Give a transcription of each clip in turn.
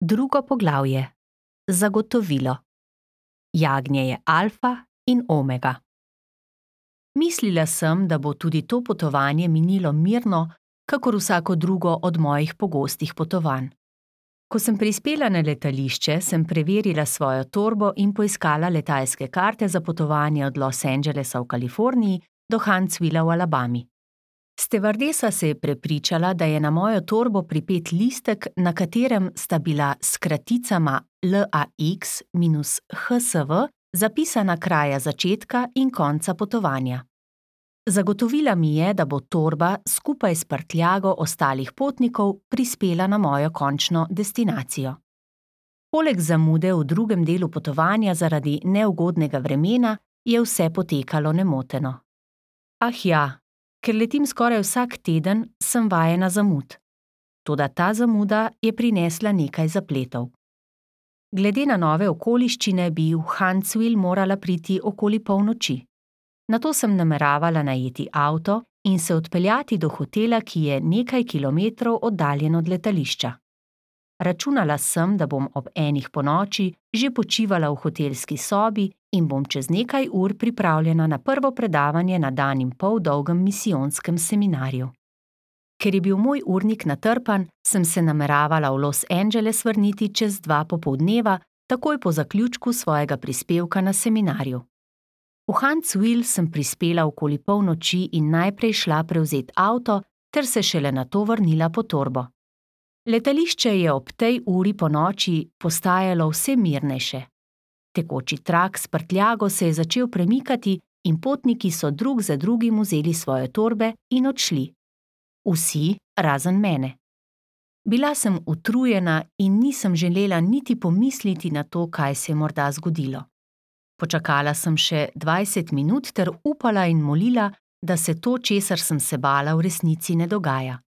Drugo poglavje. Zagotovilo. Jagnje je alfa in omega. Mislila sem, da bo tudi to potovanje minilo mirno, kakor vsako drugo od mojih pogostih potovanj. Ko sem prispela na letališče, sem preverila svojo torbo in poiskala letalske karte za potovanje od Los Angelesa v Kaliforniji do Huntsvilla v Alabami. Stevardesa se je prepričala, da je na mojo torbo pripet listek, na katerem sta bila s kraticama LAX-HSV zapisana kraja začetka in konca potovanja. Zagotovila mi je, da bo torba skupaj s prtljago ostalih potnikov prispela na mojo končno destinacijo. Poleg zamude v drugem delu potovanja zaradi neugodnega vremena je vse potekalo nemoteno. Ah ja, ker letim skoraj vsak teden, sem vajena zamud. Toda ta zamuda je prinesla nekaj zapletov. Glede na nove okoliščine bi v Huntsville morala priti okoli polnoči. Nato sem nameravala najeti avto in se odpeljati do hotela, ki je nekaj kilometrov oddaljen od letališča. Računala sem, da bom ob 1 ponoči že počivala v hotelski sobi in bom čez nekaj ur pripravljena na prvo predavanje na 1,5 dolgem misijonskem seminarju. Ker je bil moj urnik natrpan, sem se nameravala v Los Angeles vrniti čez 2 popoldneva, takoj po zaključku svojega prispevka na seminarju. V Huntsville sem prispela okoli polnoči in najprej šla prevzeti avto, ter se šele nato vrnila po torbo. Letališče je ob tej uri ponoči postajalo vse mirnejše. Tekoči trak s prtljago se je začel premikati in potniki so drug za drugim vzeli svoje torbe in odšli. Vsi, razen mene. Bila sem utrujena in nisem želela niti pomisliti na to, kaj se je morda zgodilo. Počakala sem še 20 minut ter upala in molila, da se to, česar sem se bala, v resnici ne dogaja.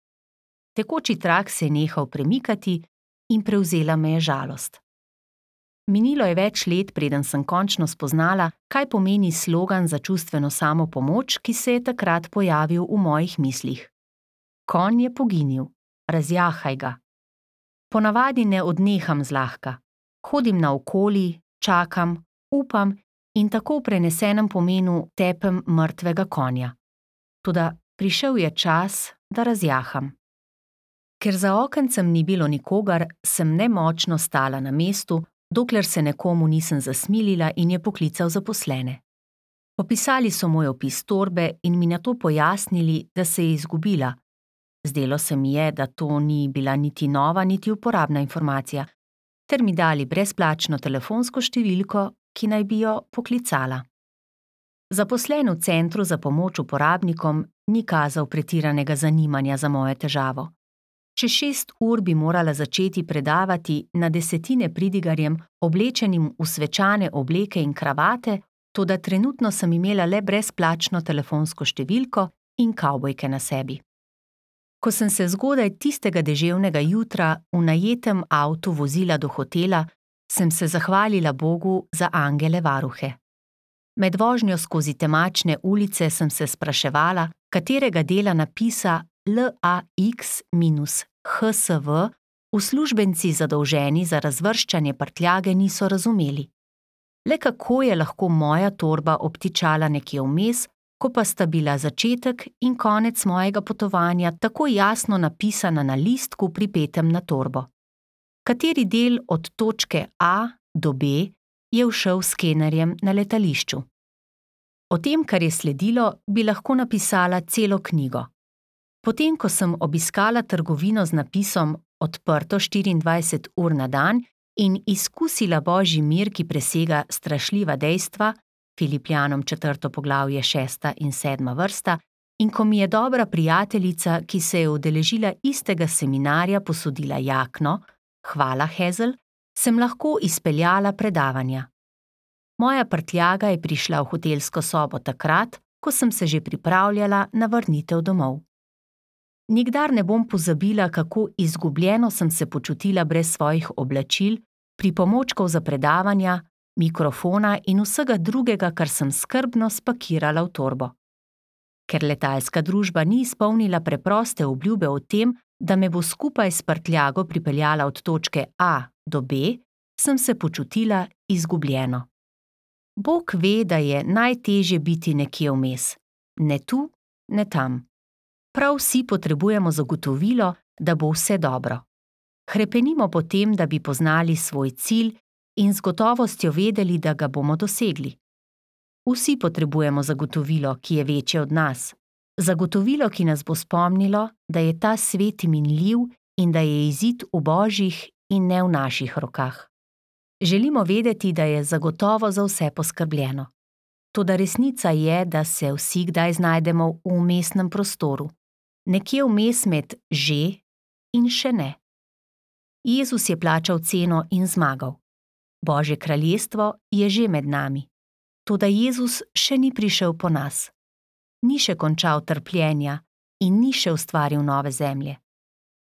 Tekoči trak se je nehal premikati in prevzela me je žalost. Minilo je več let, preden sem končno spoznala, kaj pomeni slogan za čustveno samopomoč, ki se je takrat pojavil v mojih mislih. Konj je poginil, razjahaj ga. Ponavadi ne odneham zlahka. Hodim naokoli, čakam, upam in tako v prenesenem pomenu tepem mrtvega konja. Toda prišel je čas, da razjaham. Ker za okencem ni bilo nikogar, sem nemočno stala na mestu, dokler se nekomu nisem zasmilila in je poklical zaposlene. Popisali so moj opis torbe in mi nato pojasnili, da se je izgubila. Zdelo se mi je, da to ni bila niti nova, niti uporabna informacija, ter mi dali brezplačno telefonsko številko, ki naj bi jo poklicala. Zaposlen v centru za pomoč uporabnikom ni kazal pretiranega zanimanja za mojo težavo. Čez 6 ur bi morala začeti predavati na desetine pridigarjem, oblečenim v svečane obleke in kravate, toda trenutno sem imela le brezplačno telefonsko številko in kavbojke na sebi. Ko sem se zgodaj tistega deževnega jutra v najetem avtu vozila do hotela, sem se zahvalila Bogu za angele varuhe. Med vožnjo skozi temačne ulice sem se spraševala, katerega dela napisa LAX-HSV uslužbenci zadolženi za razvrščanje prtljage niso razumeli. Le kako je lahko moja torba obtičala nekje vmes, ko pa sta bila začetek in konec mojega potovanja tako jasno napisana na listku pripetem na torbo. Kateri del od točke A do B je všel s skenerjem na letališču? O tem, kar je sledilo, bi lahko napisala celo knjigo. Potem, ko sem obiskala trgovino z napisom odprto 24 ur na dan in izkusila božji mir, ki presega strašljiva dejstva, Filipljanom 4. poglavje 6. in 7. vrsta, in ko mi je dobra prijateljica, ki se je udeležila istega seminarja, posodila jakno, hvala Hazel, sem lahko izpeljala predavanja. Moja prtljaga je prišla v hotelsko sobo takrat, ko sem se že pripravljala na vrnitev domov. Nikdar ne bom pozabila, kako izgubljeno sem se počutila brez svojih oblačil, pripomočkov za predavanja, mikrofona in vsega drugega, kar sem skrbno spakirala v torbo. Ker letalska družba ni izpolnila preproste obljube o tem, Da me bo skupaj s prtljago pripeljala od točke A do B, sem se počutila izgubljeno. Bog ve, da je najtežje biti nekje vmes, ne tu, ne tam. Prav vsi potrebujemo zagotovilo, da bo vse dobro. Hrepenimo po tem, da bi poznali svoj cilj in z gotovostjo vedeli, da ga bomo dosegli. Vsi potrebujemo zagotovilo, ki je večje od nas. Zagotovilo, ki nas bo spomnilo, da je ta svet minljiv in da je izid v Božjih in ne v naših rokah. Želimo vedeti, da je zagotovo za vse poskrbljeno. Toda resnica je, da se vsi kdaj znajdemo v vmesnem prostoru. Nekje vmes med že in še ne. Jezus je plačal ceno in zmagal. Božje kraljestvo je že med nami. Toda Jezus še ni prišel po nas. Ni še končal trpljenja in ni še ustvaril nove zemlje.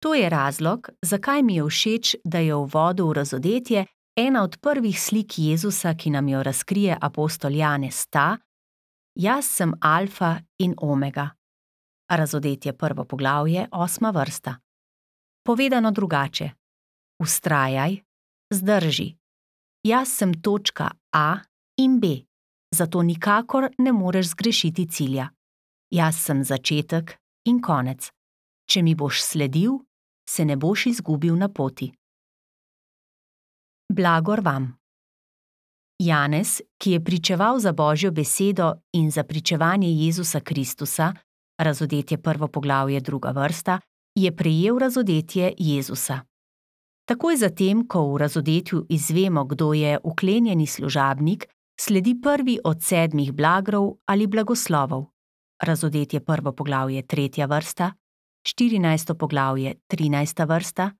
To je razlog, zakaj mi je všeč, da je v uvodu v Razodetje ena od prvih slik Jezusa, ki nam jo razkrije apostol Janez, ta: Jaz sem alfa in omega. Razodetje 1. poglavje, 8. vrsta. Povedano drugače: vztrajaj, zdrži. Jaz sem točka A in B, zato nikakor ne moreš zgrešiti cilja. Jaz sem začetek in konec. Če mi boš sledil, se ne boš izgubil na poti. Blagor vam. Janez, ki je pričeval za Božjo besedo in za pričevanje Jezusa Kristusa, Razodetje 1. poglavje 2. vrsta, je prejel razodetje Jezusa. Takoj zatem, ko v razodetju izvemo, kdo je uklenjeni služabnik, sledi prvi od 7 blagrov ali blagoslovov. Razodetje 1. poglavje 3. vrsta, 14. poglavje 13. vrsta,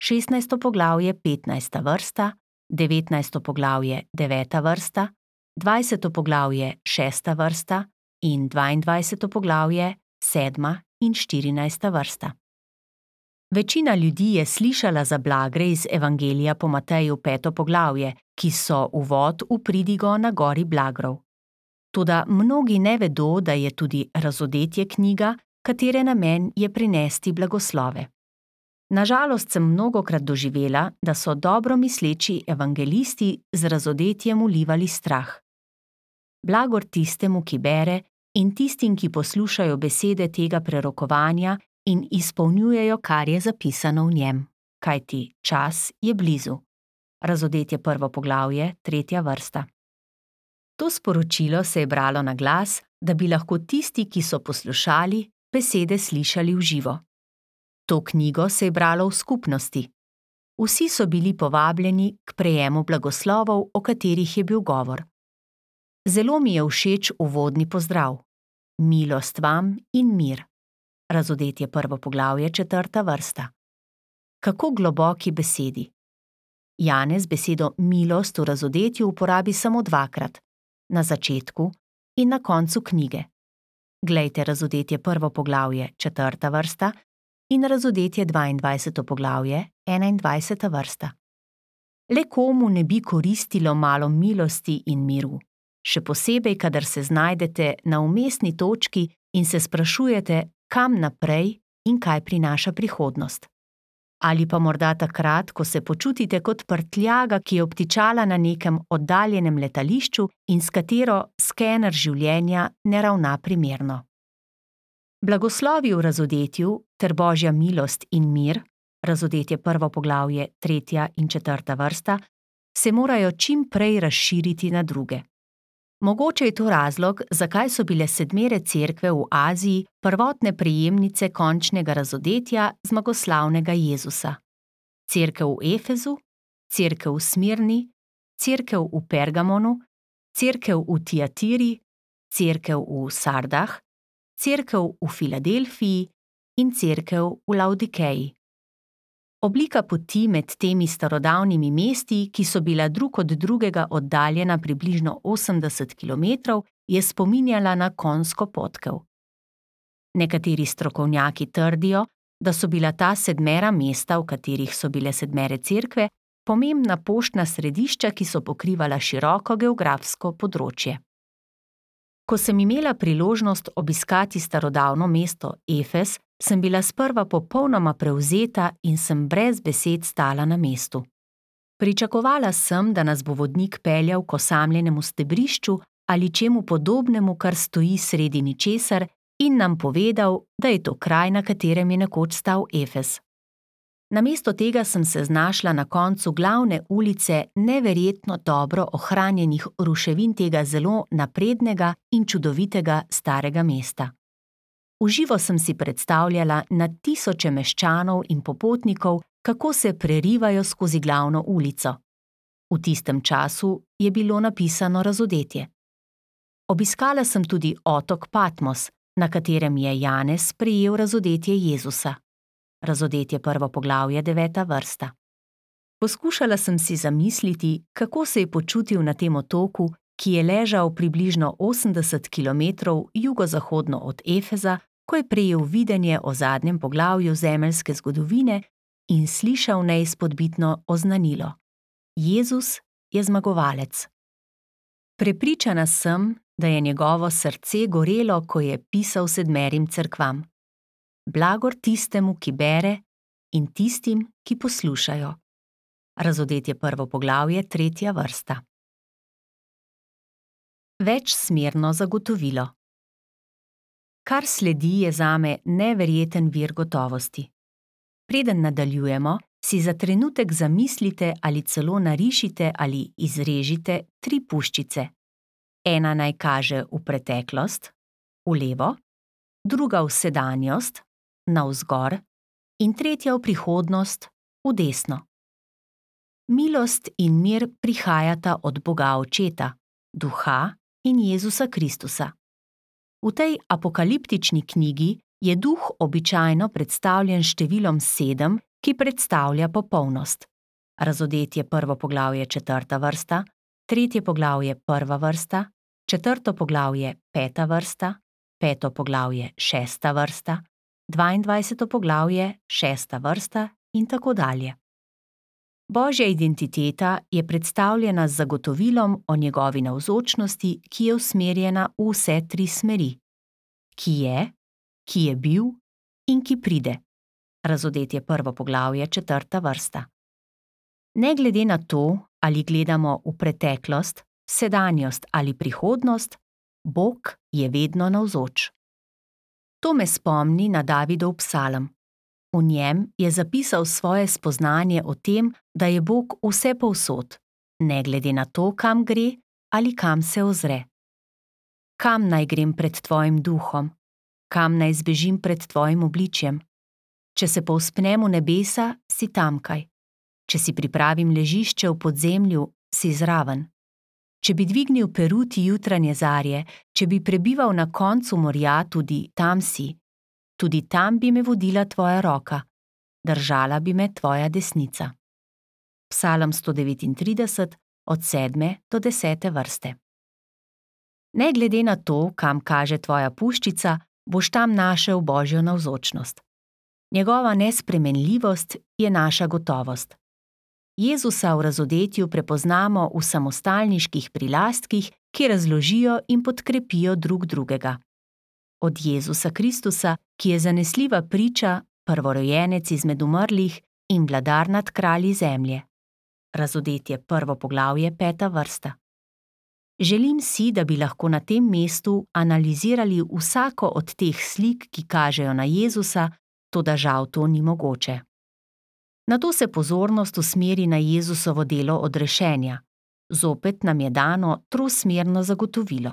16. poglavje 15. vrsta, 19. poglavje 9. vrsta, 20. poglavje 6. vrsta in 22. poglavje 7. in 14. vrsta. Večina ljudi je slišala za blagre iz Evangelija po Mateju 5. poglavje, ki so uvod v pridigo na gori blagrov. Toda mnogi ne vedo, da je tudi Razodetje knjiga, katere namen je prinesti blagoslove. Nažalost sem mnogokrat doživela, da so dobro misleči evangelisti z Razodetjem vlivali strah. Blagor tistemu, ki bere, in tistim, ki poslušajo besede tega prerokovanja in izpolnjujejo, kar je zapisano v njem, kajti čas je blizu. Razodetje 1. poglavje, 3. vrsta. To sporočilo se je bralo na glas, da bi lahko tisti, ki so poslušali, besede slišali v živo. To knjigo se je bralo v skupnosti. Vsi so bili povabljeni k prejemu blagoslovov, o katerih je bil govor. Zelo mi je všeč uvodni pozdrav. Milost vam in mir. Razodetje 1. poglavje 4. vrsta. Kako globoki besedi. Janez besedo milost v Razodetju uporabi samo 2-krat, na začetku in na koncu knjige. Glejte Razodetje 1. poglavje 4. vrsta in Razodetje 22. poglavje 21. vrsta. Le komu ne bi koristilo malo milosti in miru, še posebej, kadar se znajdete na vmesni točki in se sprašujete, kam naprej in kaj prinaša prihodnost. Ali pa morda takrat, ko se počutite kot prtljaga, ki je obtičala na nekem oddaljenem letališču in s katero skener življenja ne ravna primerno. Blagoslovi v Razodetju ter Božja milost in mir, Razodetje 1. poglavje 3. in 4. vrsta, se morajo čim prej razširiti na druge. Mogoče je to razlog, zakaj so bile 7 cerkve v Aziji prvotne prejemnice končnega razodetja zmagoslavnega Jezusa. Cerkev v Efezu, cerkev v Smirni, cerkev v Pergamonu, cerkev v Tiatiri, cerkev v Sardah, cerkev v Filadelfiji in cerkev v Laodikeji. Oblika poti med temi starodavnimi mesti, ki so bila drug od drugega oddaljena približno 80 km, je spominjala na konjsko potkev. Nekateri strokovnjaki trdijo, da so bila ta 7 mesta, v katerih so bile 7 cerkve, pomembna poštna središča, ki so pokrivala široko geografsko področje. Ko sem imela priložnost obiskati starodavno mesto Efez, sem bila sprva popolnoma prevzeta in sem brez besed stala na mestu. Pričakovala sem, da nas bo vodnik peljal k osamljenemu stebrišču ali čemu podobnemu, kar stoji sredi ničesar, in nam povedal, da je to kraj, na katerem je nekoč stal Efez. Namesto tega sem se znašla na koncu glavne ulice neverjetno dobro ohranjenih ruševin tega zelo naprednega in čudovitega starega mesta. V živo sem si predstavljala na tisoče meščanov in popotnikov, kako se prerivajo skozi glavno ulico. V tistem času je bilo napisano razodetje. Obiskala sem tudi otok Patmos, na katerem je Janez sprejel razodetje Jezusa. Razodetje 1. poglavje 9. vrsta. Poskušala sem si zamisliti, kako se je počutil na tem otoku, ki je ležal približno 80 kilometrov jugozahodno od Efeza, ko je prejel videnje o zadnjem poglavju zemeljske zgodovine in slišal neizpodbitno oznanilo: Jezus je zmagovalec. Prepričana sem, da je njegovo srce gorelo, ko je pisal 7 cerkvam. Blagor tistemu, ki bere, in tistim, ki poslušajo. Razodetje 1. poglavje 3. vrsta. Večsmerno zagotovilo. Kar sledi, je zame neverjeten vir gotovosti. Preden nadaljujemo, si za trenutek zamislite ali celo narišite ali izrežite 3 puščice. Ena naj kaže v preteklost, v levo, druga v sedanjost, navzgor, in tretja v prihodnost, v desno. Milost in mir prihajata od Boga Očeta, Duha in Jezusa Kristusa. V tej apokaliptični knjigi je Duh običajno predstavljen s številom 7, ki predstavlja popolnost. Razodetje 1. poglavje 4. vrsta, 3. poglavje 1. vrsta, 4. poglavje 5. vrsta, 5. poglavje 6. vrsta, 22. poglavje 6. vrsta in tako dalje. Božja identiteta je predstavljena z zagotovilom o njegovi navzočnosti, ki je usmerjena v vse 3 smeri: ki je bil in ki pride. Razodetje 1. poglavje 4. vrsta. Ne glede na to, ali gledamo v preteklost, sedanjost ali prihodnost, Bog je vedno navzoč. To me spomni na Davidov psalm. V njem je zapisal svoje spoznanje o tem, da je Bog vsepovsod, ne glede na to, kam gre ali kam se ozre. Kam naj grem pred tvojim duhom? Kam naj zbežim pred tvojim obličjem? Če se povzpnem v nebesa, si tamkaj. Če si pripravim ležišče v podzemlju, si zraven. Če bi dvignil peruti jutranje zarje, če bi prebival na koncu morja, tudi tam si. Tudi tam bi me vodila tvoja roka, držala bi me tvoja desnica. Psalm 139, od 7. do 10. vrste. Ne glede na to, kam kaže tvoja puščica, boš tam našel Božjo navzočnost. Njegova nespremenljivost je naša gotovost. Jezusa v razodetju prepoznamo v samostalniških prilastkih, ki razložijo in podkrepijo drug drugega. Od Jezusa Kristusa, ki je zanesljiva priča, prvorojenec izmed umrlih in vladar nad kralji zemlje. Razodetje 1. poglavje 5. vrsta. Želim si, da bi lahko na tem mestu analizirali vsako od teh slik, ki kažejo na Jezusa, toda žal to ni mogoče. Nato se pozornost usmeri na Jezusovo delo odrešenja. Zopet nam je dano trosmerno zagotovilo.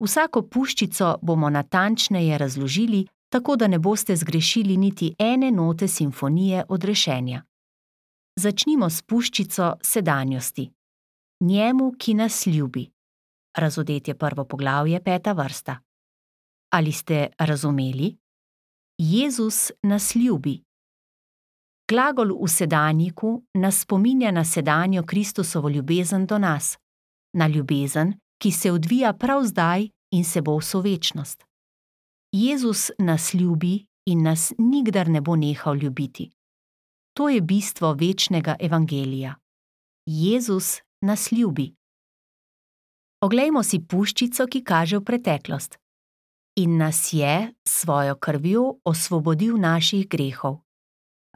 Vsako puščico bomo natančneje razložili, tako da ne boste zgrešili niti ene note simfonije odrešenja. Začnimo s puščico sedanjosti. Njemu, ki nas ljubi. Razodetje 1. poglavje 5. vrsta. Ali ste razumeli? Jezus nas ljubi. Glagol v sedanjiku nas spominja na sedanjo Kristusovo ljubezen do nas, na ljubezen, ki se odvija prav zdaj in se bo vso večnost. Jezus nas ljubi in nas nikdar ne bo nehal ljubiti. To je bistvo večnega evangelija. Jezus nas ljubi. Oglejmo si puščico, ki kaže v preteklost. in nas je s svojo krvjo osvobodil naših grehov.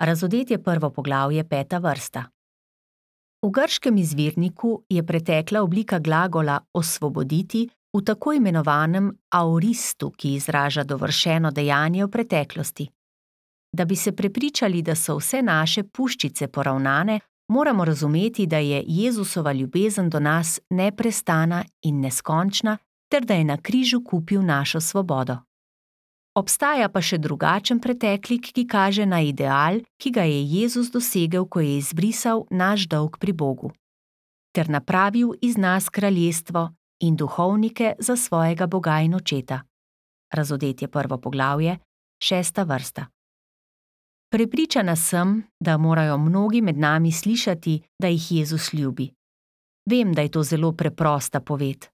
Razodetje 1. poglavje 5. vrsta. V grškem izvirniku je pretekla oblika glagola osvoboditi v tako imenovanem aoristu, ki izraža dovršeno dejanje v preteklosti. Da bi se prepričali, da so vse naše puščice poravnane, moramo razumeti, da je Jezusova ljubezen do nas neprestana in neskončna, ter da je na križu kupil našo svobodo. Obstaja pa še drugačen preteklik, ki kaže na ideal, ki ga je Jezus dosegel, ko je izbrisal naš dolg pri Bogu, ter napravil iz nas kraljestvo in duhovnike za svojega Boga in očeta. Razodetje 1. poglavje, 6. vrsta. Prepričana sem, da morajo mnogi med nami slišati, da jih Jezus ljubi. Vem, da je to zelo preprosta poved.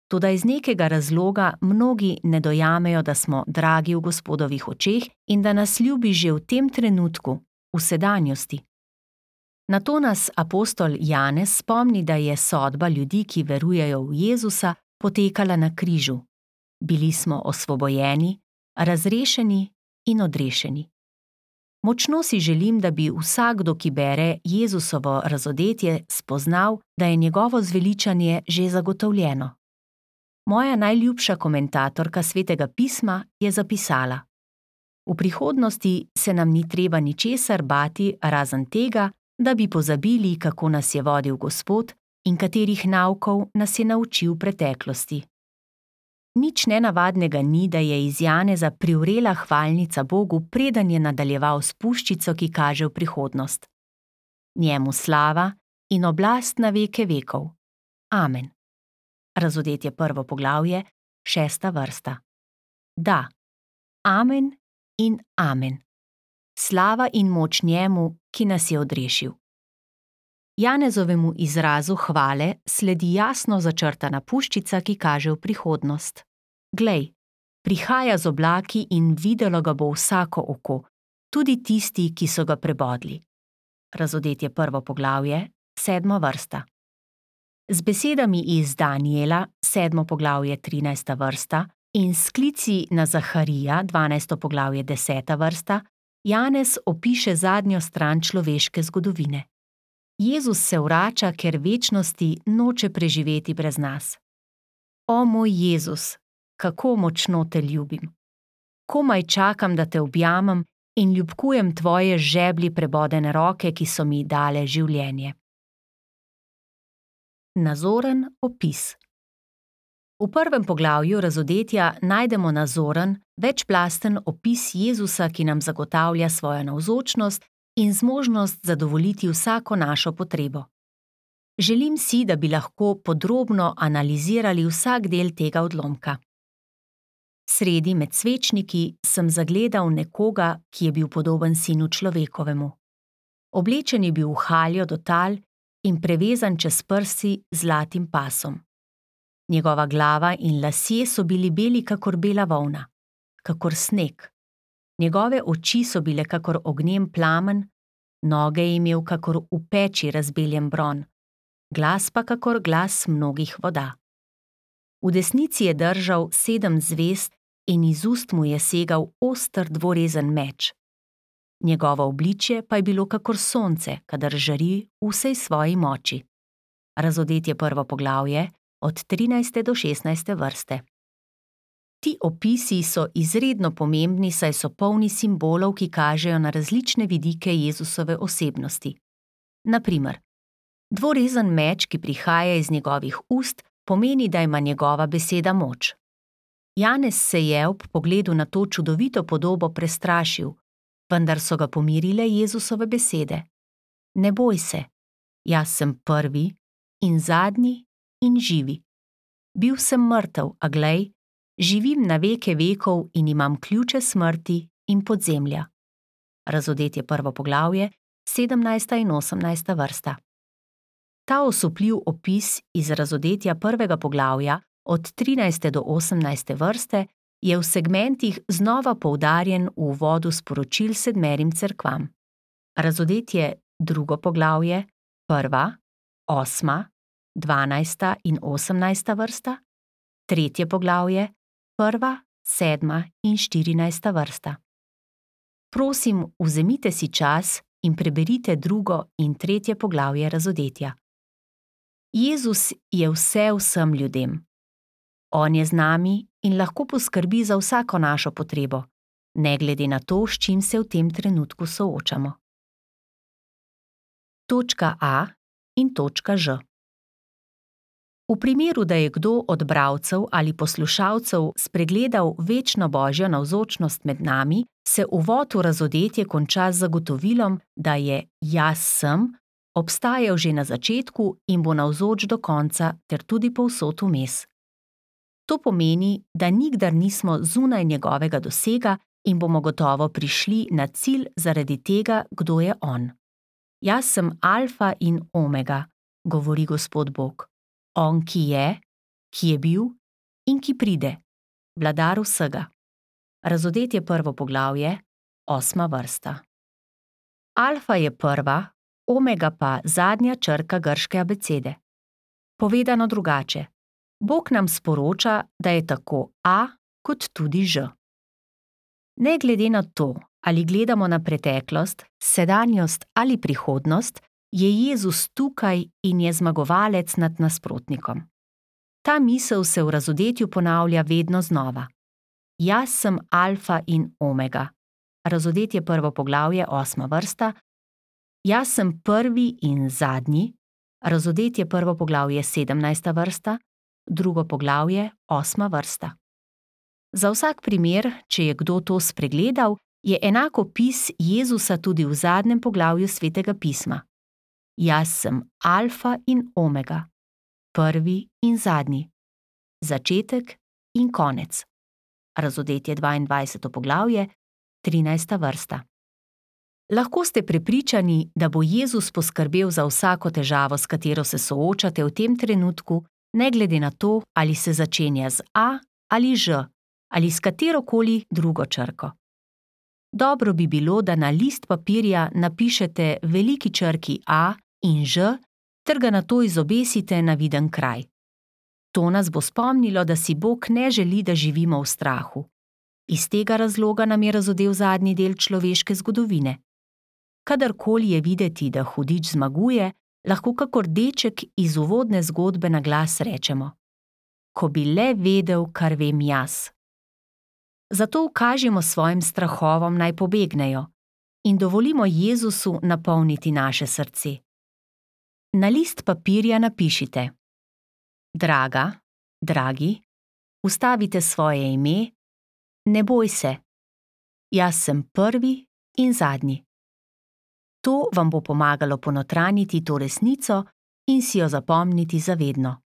Toda iz nekega razloga mnogi ne dojamejo, da smo dragi v Gospodovih očeh in da nas ljubi že v tem trenutku, v sedanjosti. Na to nas apostol Janez spomni, da je sodba ljudi, ki verujejo v Jezusa, potekala na križu. Bili smo osvobojeni, razrešeni in odrešeni. Močno si želim, da bi vsakdo, ki bere Jezusovo razodetje, spoznal, da je njegovo zveličanje že zagotovljeno. Moja najljubša komentatorka Svetega pisma je zapisala: V prihodnosti se nam ni treba ničesar bati razen tega, da bi pozabili, kako nas je vodil Gospod in katerih naukov nas je naučil v preteklosti. Nič nenavadnega ni, da je iz Janeza privrela hvalnica Bogu, preden je nadaljeval s puščico, ki kaže v prihodnost. Njemu slava in oblast na veke vekov. Amen. Razodetje 1. poglavje, 6. vrsta. Da, amen in amen. Slava in moč njemu, ki nas je odrešil. Janezovemu izrazu hvale sledi jasno začrtana puščica, ki kaže v prihodnost. Glej, prihaja z oblaki in videlo ga bo vsako oko, tudi tisti, ki so ga prebodli. Razodetje 1. poglavje, 7. vrsta. Z besedami iz Daniela, 7. poglavje, 13. vrsta, in sklici na Zaharija, 12. poglavje, 10. vrsta, Janez opiše zadnjo stran človeške zgodovine. Jezus se vrača, ker večnosti noče preživeti brez nas. O moj Jezus, kako močno te ljubim! Komaj čakam, da te objamem in ljubkujem tvoje žeblji prebodene roke, ki so mi dale življenje. Nazoren opis. V 1. poglavju razodetja najdemo nazoren, večplasten opis Jezusa, ki nam zagotavlja svojo navzočnost in zmožnost zadovoljiti vsako našo potrebo. Želim si, da bi lahko podrobno analizirali vsak del tega odlomka. Sredi med svečniki sem zagledal nekoga, ki je bil podoben sinu človekovemu. Oblečen je bil v haljo do tal in prevezan čez prsi z zlatim pasom. Njegova glava in lasje so bili beli kakor bela volna, kakor sneg. Njegove oči so bile kakor ognjen plamen, noge je imel kakor v peči razbeljen bron, glas pa kakor glas mnogih voda. V desnici je držal 7 zvezd in iz ust mu je segal oster dvorezen meč. Njegovo obličje pa je bilo kakor sonce, kadar žari v vsej svoji moči. Razodetje 1. poglavje, od 13. do 16. vrste. Ti opisi so izredno pomembni, saj so polni simbolov, ki kažejo na različne vidike Jezusove osebnosti. Na primer, dvorezen meč, ki prihaja iz njegovih ust, pomeni, da ima njegova beseda moč. Janez se je ob pogledu na to čudovito podobo prestrašil, vendar so ga pomirile Jezusove besede. Ne boj se, jaz sem prvi in zadnji in živi. Bil sem mrtev, a glej, živim na veke vekov in imam ključe smrti in podzemlja. Razodetje 1. poglavje, 17. in 18. vrsta. Ta osupljiv opis iz razodetja 1. poglavja od 13. do 18. vrste je v segmentih znova poudarjen v uvodu sporočil 7 cerkvam. Razodetje 2. poglavje, 1., 8., 12. in 18. vrsta, 3. poglavje, 1., 7. in 14. vrsta. Prosim, vzemite si čas in preberite 2. in 3. poglavje Razodetja. Jezus je vse vsem ljudem. On je z nami in lahko poskrbi za vsako našo potrebo, ne glede na to, s čim se v tem trenutku soočamo. Točka A in točka Ž. V primeru, da je kdo od bralcev ali poslušalcev spregledal večno Božjo navzočnost med nami, se uvod v Razodetje konča z zagotovilom, da je Jaz sem obstajal že na začetku in bo navzoč do konca ter tudi povsod vmes. To pomeni, da nikdar nismo zunaj njegovega dosega in bomo gotovo prišli na cilj zaradi tega, kdo je on. Jaz sem alfa in omega, govori Gospod Bog. On, ki je bil in ki pride, vladar vsega. Razodetje 1. poglavje, 8. vrsta. Alfa je prva, omega pa zadnja črka grške abecede. Povedano drugače, Bog nam sporoča, da je tako A kot tudi Ž. Ne glede na to, ali gledamo na preteklost, sedanjost ali prihodnost, je Jezus tukaj in je zmagovalec nad nasprotnikom. Ta misel se v Razodetju ponavlja vedno znova. Jaz sem alfa in omega. Razodetje 1. poglavje, 8. vrsta. Jaz sem prvi in zadnji. Razodetje 1. poglavje, 17. vrsta. 2. poglavje, 8. vrsta. Za vsak primer, če je kdo to spregledal, je enak opis Jezusa tudi v zadnjem poglavju Svetega pisma. Jaz sem alfa in omega, prvi in zadnji, začetek in konec. Razodetje 22. poglavje, 13. vrsta. Lahko ste prepričani, da bo Jezus poskrbel za vsako težavo, s katero se soočate v tem trenutku, ne glede na to, ali se začenja z A ali Ž, ali s katerokoli drugo črko. Dobro bi bilo, da na list papirja napišete veliki črki A in Ž ter ga nato izobesite na viden kraj. To nas bo spomnilo, da si Bog ne želi, da živimo v strahu. Iz tega razloga nam je razodel zadnji del človeške zgodovine. Kadarkoli je videti, da hudič zmaguje, lahko kakor deček iz uvodne zgodbe na glas rečemo: Ko bi le vedel, kar vem jaz. Zato ukažimo svojim strahovom, naj pobegnejo in dovolimo Jezusu napolniti naše srce. Na list papirja napišite: Draga, dragi, vstavite svoje ime, ne boj se, jaz sem prvi in zadnji. To vam bo pomagalo ponotranjiti to resnico in si jo zapomniti za vedno.